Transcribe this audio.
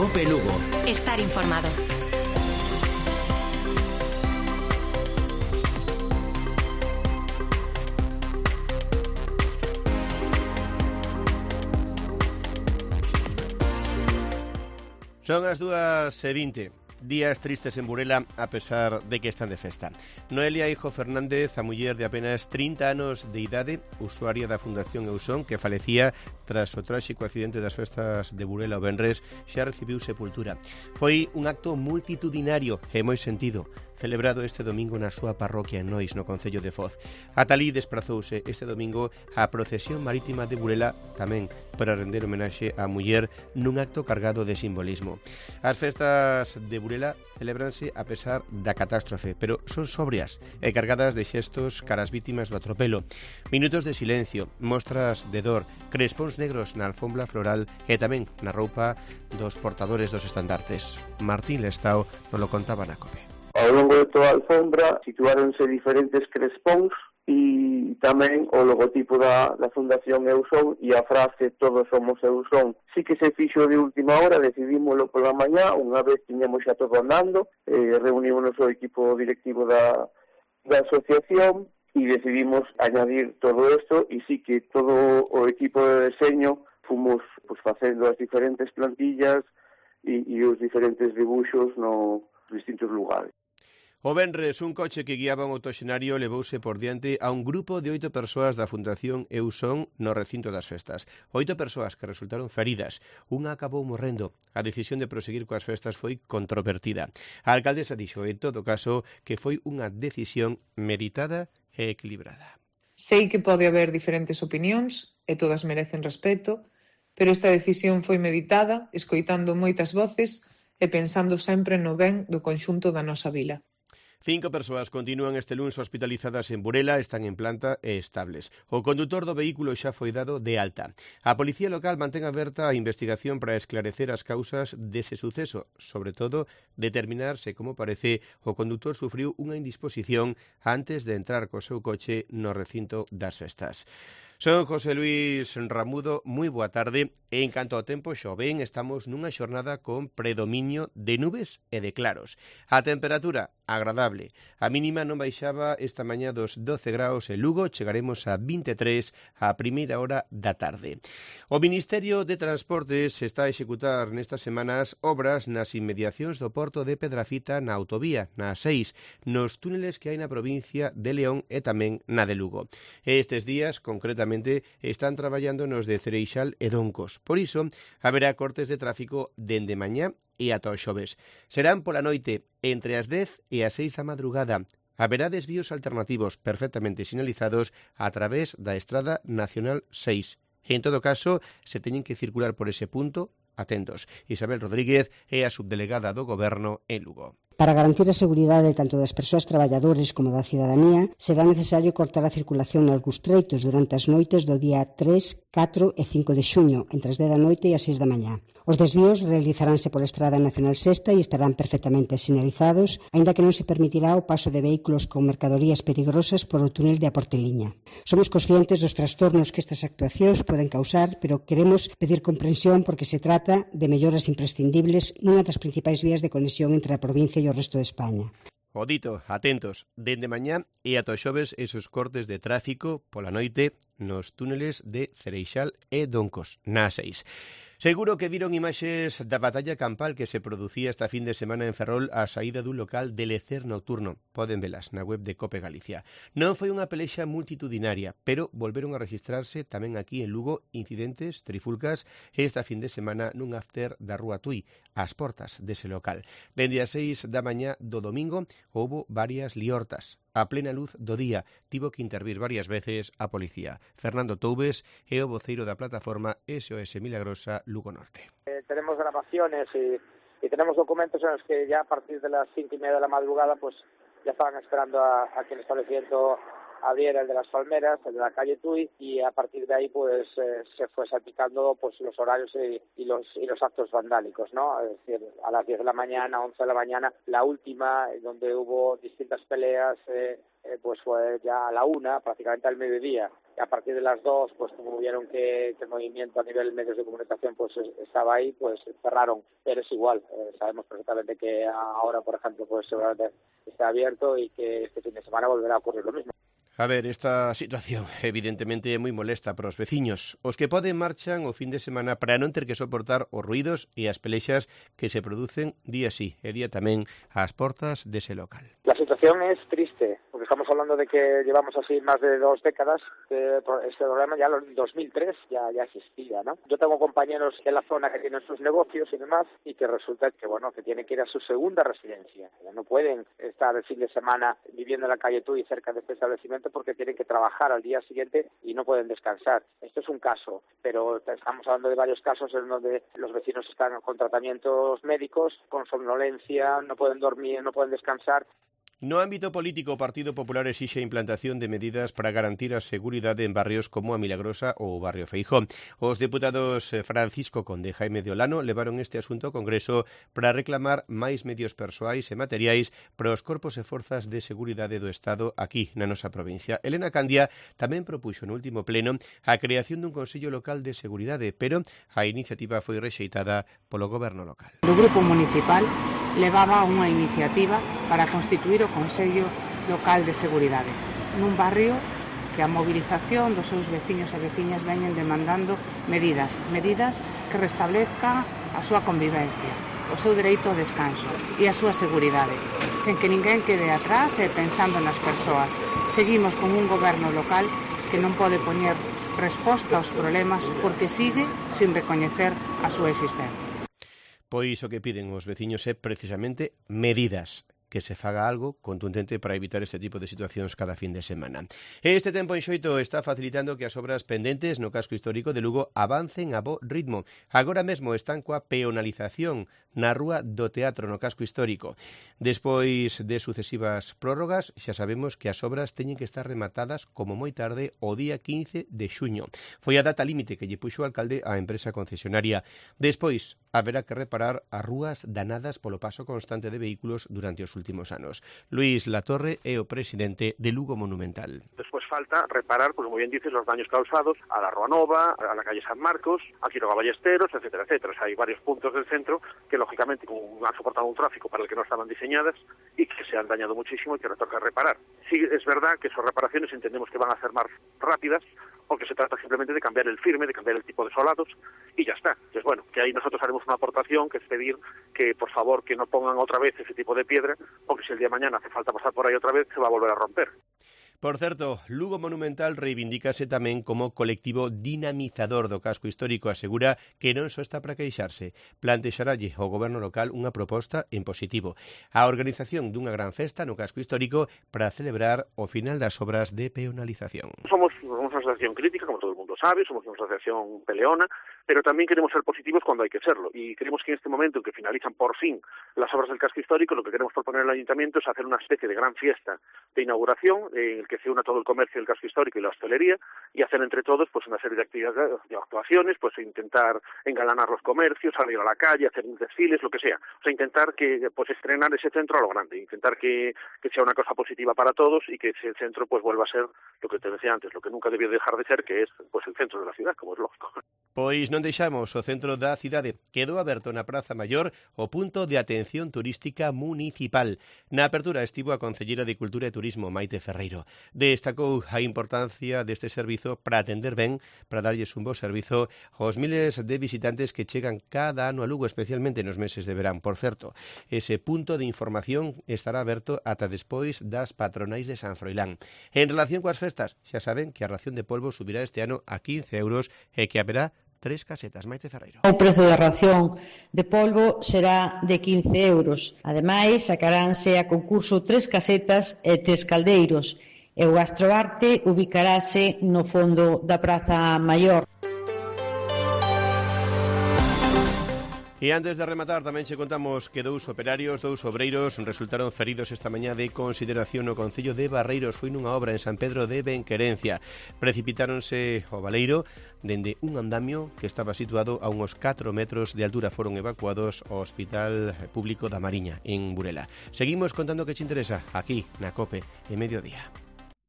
COPE Lugo. Estar informado. Son as 2:20. Días tristes en Burela a pesar de que están de festa. Noelia Hijo Fernández, a muller de apenas 30 anos de idade, usuaria da Fundación Eusón, que falecía tras o tráxico accidente das festas de Burela o venres, xa recibiu sepultura. Foi un acto multitudinario e moi sentido, celebrado este domingo na súa parroquia en Nois, no concello de Foz. Ata alí desprazouse este domingo a procesión marítima de Burela, tamén para render homenaxe á muller nun acto cargado de simbolismo. As festas de Burela celebranse a pesar da catástrofe, pero son sobrias e cargadas de xestos cara ás vítimas do atropelo. Minutos de silencio, mostras de dor, crespóns negros na alfombra floral e tamén na roupa dos portadores dos estandartes. Martín Lestao nos lo contaba na COPE. Ao longo de toda a alfombra situáronse diferentes crespóns e tamén o logotipo da Fundación Eusón e a frase "Todos somos Eusón". Sí que se fixo de última hora, decidímoslo pola mañá, unha vez tiñamos xa todo andando, reunimos o equipo directivo da asociación e decidimos añadir todo isto, e sí que todo o equipo de deseño fomos facendo as diferentes plantillas e os diferentes dibuixos nos distintos lugares. O venres, un coche que guiaba un autoxenario levouse por diante a un grupo de 8 persoas da Fundación Eusón no recinto das festas. 8 persoas que resultaron feridas. Unha acabou morrendo. A decisión de proseguir coas festas foi controvertida. A alcaldesa dixo, en todo caso, que foi unha decisión meditada e equilibrada. Sei que pode haber diferentes opinións e todas merecen respeto, pero esta decisión foi meditada, escoitando moitas voces e pensando sempre no ben do conxunto da nosa vila. 5 persoas continúan este luns hospitalizadas en Burela, están en planta e estables. O condutor do vehículo xa foi dado de alta. A Policía Local mantén aberta a investigación para esclarecer as causas dese suceso, sobre todo determinar se, como parece, o condutor sufriu unha indisposición antes de entrar co seu coche no recinto das festas. Son José Luis Ramudo, moi boa tarde. E en canto ao tempo, xo ben, estamos nunha xornada con predominio de nubes e de claros. A temperatura agradable. A mínima non baixaba esta mañá dos 12 graus en Lugo, chegaremos a 23 a primeira hora da tarde. O Ministerio de Transportes está a executar nestas semanas obras nas inmediacións do porto de Pedrafita na autovía, na 6, nos túneles que hai na provincia de León e tamén na de Lugo. Estes días, concretamente, están traballando nos de Cereixal e Doncos. Por iso, haberá cortes de tráfico dende mañá e ata o xoves. Serán pola noite entre as 10 e as 6 da madrugada. Haberá desvíos alternativos perfectamente sinalizados a través da Estrada Nacional 6. En todo caso, se teñen que circular por ese punto, atentos. Isabel Rodríguez é a subdelegada do Goberno en Lugo. Para garantir a seguridade tanto das persoas traballadores como da cidadanía, será necesario cortar a circulación nalgúns treitos durante as noites do día 3, 4 e 5 de xuño, entre as 10 da noite e as 6 da mañá. Os desvíos realizaránse pola Estrada Nacional 6 e estarán perfectamente sinalizados, aínda que non se permitirá o paso de vehículos con mercadorías peligrosas por o túnel de a Porteliña. Somos conscientes dos trastornos que estas actuacións poden causar, pero queremos pedir comprensión porque se trata de melloras imprescindibles nunha das principais vías de conexión entre a provincia e o resto de España. O dito, atentos, dende mañá e ata o xoves esos cortes de tráfico pola noite nos túneles de Cereixal e Doncos, na 6. Seguro que viron imaxes da batalla campal que se producía esta fin de semana en Ferrol á saída dun local de lecer nocturno. Poden velas na web de COPE Galicia. Non foi unha pelexa multitudinaria, pero volveron a registrarse tamén aquí en Lugo incidentes, trifulcas, esta fin de semana nun after da Rúa Tui, ás portas dese local. Dende as 6 da mañá do domingo houbo varias liortas. A plena luz do día tivo que intervir varias veces a policía. Fernando Toubes é o voceiro da plataforma SOS Milagrosa Lugo Norte. Tenemos grabaciones y tenemos documentos en los que ya a partir de las 5:30 de la madrugada pues ya estaban esperando a que el establecimiento abriera, el de las Palmeras, el de la calle Tui, y a partir de ahí pues se fue salpicando pues los horarios y los actos vandálicos, ¿no? Es decir, a las 10 de la mañana, 11 de la mañana, la última, donde hubo distintas peleas, pues fue ya a la 1, prácticamente al mediodía. y a partir de las 2, pues como vieron que el movimiento a nivel de medios de comunicación pues estaba ahí, pues cerraron. Pero es igual, sabemos perfectamente que ahora, por ejemplo, pues seguramente está abierto y que este fin de semana volverá a ocurrir lo mismo. A ver, esta situación evidentemente é moi molesta para os veciños. Os que poden marchan o fin de semana para non ter que soportar os ruidos e as pelexas que se producen día sí e día tamén ás portas dese local. La situación es triste, porque estamos hablando de que llevamos así más de 2 décadas, que este problema ya en 2003 ya existía, ¿no? Yo tengo compañeros en la zona que tienen sus negocios y demás, y que resulta que, bueno, que tienen que ir a su segunda residencia. No pueden estar el fin de semana viviendo en la calle Tuy cerca de este establecimiento porque tienen que trabajar al día siguiente y no pueden descansar. Esto es un caso, pero estamos hablando de varios casos en donde los vecinos están con tratamientos médicos, con somnolencia, no pueden dormir, no pueden descansar. No ámbito político, o Partido Popular exixe a implantación de medidas para garantir a seguridade en barrios como a Milagrosa ou o barrio Feijó. Os deputados Francisco Conde e Jaime de Olano levaron este asunto ao Congreso para reclamar máis medios persoais e materiais para os corpos e forzas de seguridade do Estado aquí na nosa provincia. Elena Candia tamén propuxo no último pleno a creación dun Consello Local de Seguridade, pero a iniciativa foi rexeitada polo Goberno local. O Grupo Municipal levaba unha iniciativa para constituir o Consello Local de Seguridade nun barrio que a movilización dos seus veciños e veciñas veñen demandando medidas que restablezcan a súa convivencia, o seu dereito ao descanso e a súa seguridade, sen que ninguén quede atrás e pensando nas persoas. Seguimos con un goberno local que non pode poñer resposta aos problemas porque sigue sin recoñecer a súa existencia. Pois o que piden os veciños é precisamente medidas, que se faga algo contundente para evitar este tipo de situacións cada fin de semana. Este tempo en Xoito está facilitando que as obras pendentes no casco histórico de Lugo avancen a bo ritmo. Agora mesmo están coa peonalización na Rúa do Teatro no casco histórico. Despois de sucesivas prórrogas, xa sabemos que as obras teñen que estar rematadas como moi tarde o día 15 de xuño. Foi a data límite que lle puxo o alcalde á empresa concesionaria. Despois, haberá que reparar as rúas danadas polo paso constante de vehículos durante os últimos anos. Luís Latorre é o presidente de Lugo Monumental. Despois falta reparar, como bien dices, los daños causados a la Rúa Nova, a la calle San Marcos, a Quiroga Ballesteros, etcétera, etcétera. O sea, hay varios puntos del centro que, lógicamente, han soportado un tráfico para el que no estaban diseñadas y que se han dañado muchísimo y que toca reparar. Sí, es verdad que esas reparaciones entendemos que van a ser más rápidas, porque se trata simplemente de cambiar el firme, de cambiar el tipo de solados y ya está. Entonces, bueno, que ahí nosotros haremos una aportación, que es pedir que, por favor, que no pongan otra vez ese tipo de piedra, porque si el día de mañana hace falta pasar por ahí otra vez, se va a volver a romper. Por certo, Lugo Monumental reivindícase tamén como colectivo dinamizador do casco histórico. Asegura que non só está para queixarse. Plantexaralle ao goberno local unha proposta en positivo. A organización dunha gran festa no casco histórico para celebrar o final das obras de peonalización. Somos una asociación crítica, como todo el mundo sabe, somos una asociación peleona, pero también queremos ser positivos cuando hay que serlo. Y creemos que en este momento en que finalizan por fin las obras del casco histórico, lo que queremos proponer al ayuntamiento es hacer una especie de gran fiesta de inauguración en el que se una todo el comercio del casco histórico y la hostelería y hacer entre todos pues una serie de actividades, de actuaciones, pues intentar engalanar los comercios, salir a la calle, hacer desfiles, lo que sea. O sea, intentar que pues estrenar ese centro a lo grande, intentar que sea una cosa positiva para todos y que ese centro pues vuelva a ser lo que te decía antes, lo que nunca debió dejar de ser, que es pues el centro de la ciudad, como es lógico. Pois non deixamos o centro da cidade. Quedou aberto na Praza Maior o punto de atención turística municipal. Na apertura estivo a Concelleira de Cultura e Turismo, Maite Ferreiro. Destacou a importancia deste servizo para atender ben, para darlles un bo servizo aos miles de visitantes que chegan cada ano a Lugo, especialmente nos meses de verán. Por certo, ese punto de información estará aberto ata despois das patronais de San Froilán. En relación coas festas, xa saben que a ración de polvo subirá este ano a 15 euros e que haberá 3 casetas. Maite Ferreiro. O prezo da ración de polvo será de 15 euros. Ademais, sacaránse a concurso 3 casetas e 3 caldeiros. E o Gastroarte ubicarase no fondo da Praza Maior. E antes de rematar, tamén che contamos que dous obreiros, resultaron feridos esta mañá de consideración no concello de Barreiros. Foi nunha obra en San Pedro de Benquerencia. Precipitáronse ao baleiro dende un andamio que estaba situado a uns 4 metros de altura. Foron evacuados ao Hospital Público da Mariña, en Burela. Seguimos contando que che interesa aquí na COPE en Mediodía.